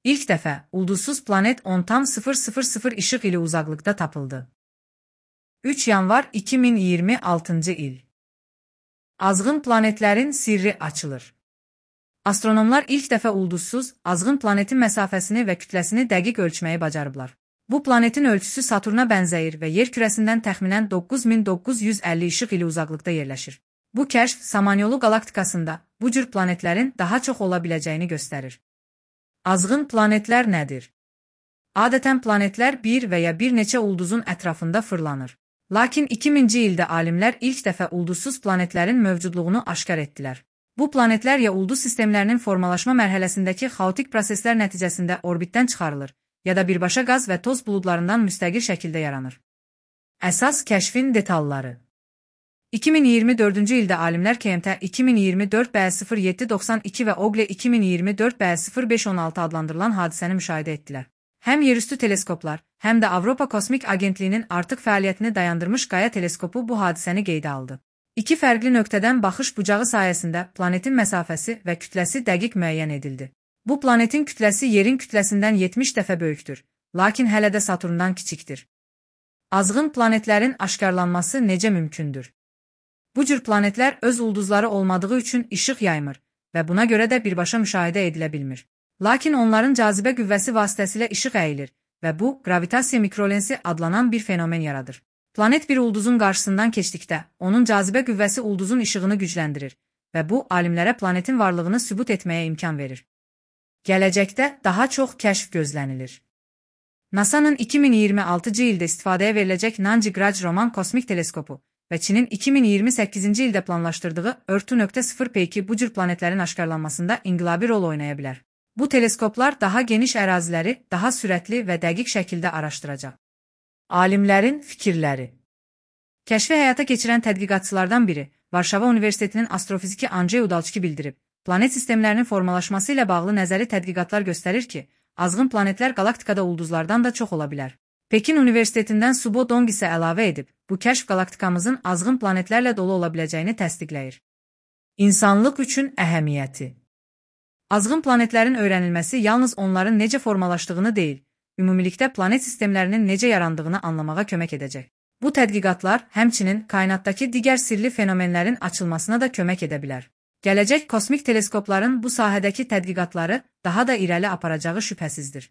İlk dəfə ulduzsuz planet 10,000 işıq ili uzaqlıqda tapıldı. 3 yanvar 2026 il. Azğın planetlərin sirri açılır. Astronomlar ilk dəfə ulduzsuz, azğın planetin məsafəsini və kütləsini dəqiq ölçməyi bacarıblar. Bu planetin ölçüsü Saturna bənzəyir və yer kürəsindən təxminən 9950 işıq ili uzaqlıqda yerləşir. Bu kəşf Samanyolu qalaktikasında bu cür planetlərin daha çox ola biləcəyini göstərir. Azğın planetlər nədir? Adətən planetlər bir və ya bir neçə ulduzun ətrafında fırlanır. Lakin 2000-ci ildə alimlər ilk dəfə ulduzsuz planetlərin mövcudluğunu aşkar etdilər. Bu planetlər ya ulduz sistemlərinin formalaşma mərhələsindəki xaotik proseslər nəticəsində orbitdən çıxarılır, ya da birbaşa qaz və toz buludlarından müstəqil şəkildə yaranır. Əsas kəşfin detalları. 2024-cü ildə alimlər KMT 2024B0792 və OGLE 2024B0516 adlandırılan hadisəni müşahidə etdilər. Həm yerüstü teleskoplar, həm də Avropa Kosmik Agentliyinin artıq fəaliyyətini dayandırmış Qaya teleskopu bu hadisəni qeydə aldı. İki fərqli nöqtədən baxış bucağı sayəsində planetin məsafəsi və kütləsi dəqiq müəyyən edildi. Bu planetin kütləsi yerin kütləsindən 70 dəfə böyükdür, lakin hələ də Saturndan kiçikdir. Azğın planetlərin aşkarlanması necə mümkündür? Bu cür planetlər öz ulduzları olmadığı üçün işıq yaymır və buna görə də birbaşa müşahidə edilə bilmir. Lakin onların cazibə qüvvəsi vasitəsilə işıq əyilir və bu, gravitasiya mikrolensi adlanan bir fenomen yaradır. Planet bir ulduzun qarşısından keçdikdə, onun cazibə qüvvəsi ulduzun işığını gücləndirir və bu, alimlərə planetin varlığını sübut etməyə imkan verir. Gələcəkdə daha çox kəşf gözlənilir. NASA-nın 2026-cı ildə istifadəyə veriləcək Nanjigraj Roman kosmik teleskopu və Çinin 2028-ci ildə planlaşdırdığı Örtü.0P2 bu cür planetlərin aşkarlanmasında inqilabi rol oynaya bilər. Bu teleskoplar daha geniş əraziləri daha sürətli və dəqiq şəkildə araşdıracaq. Alimlərin fikirləri. Kəşfi həyata keçirən tədqiqatçılardan biri, Varşava Universitetinin astrofiziki Andrey Udalçki bildirib, planet sistemlərinin formalaşması ilə bağlı nəzəri tədqiqatlar göstərir ki, azğın planetlər qalaktikada ulduzlardan da çox ola bilər. Pekin Universitetindən Subo Dong isə əlavə edib, bu kəşf qalaktikamızın azğın planetlərlə dolu ola biləcəyini təsdiqləyir. İnsanlıq üçün əhəmiyyəti. Azğın planetlərin öyrənilməsi yalnız onların necə formalaşdığını deyil, ümumilikdə planet sistemlərinin necə yarandığını anlamağa kömək edəcək. Bu tədqiqatlar həmçinin kainatdakı digər sirli fenomenlərin açılmasına da kömək edə bilər. Gələcək kosmik teleskopların bu sahədəki tədqiqatları daha da irəli aparacağı şübhəsizdir.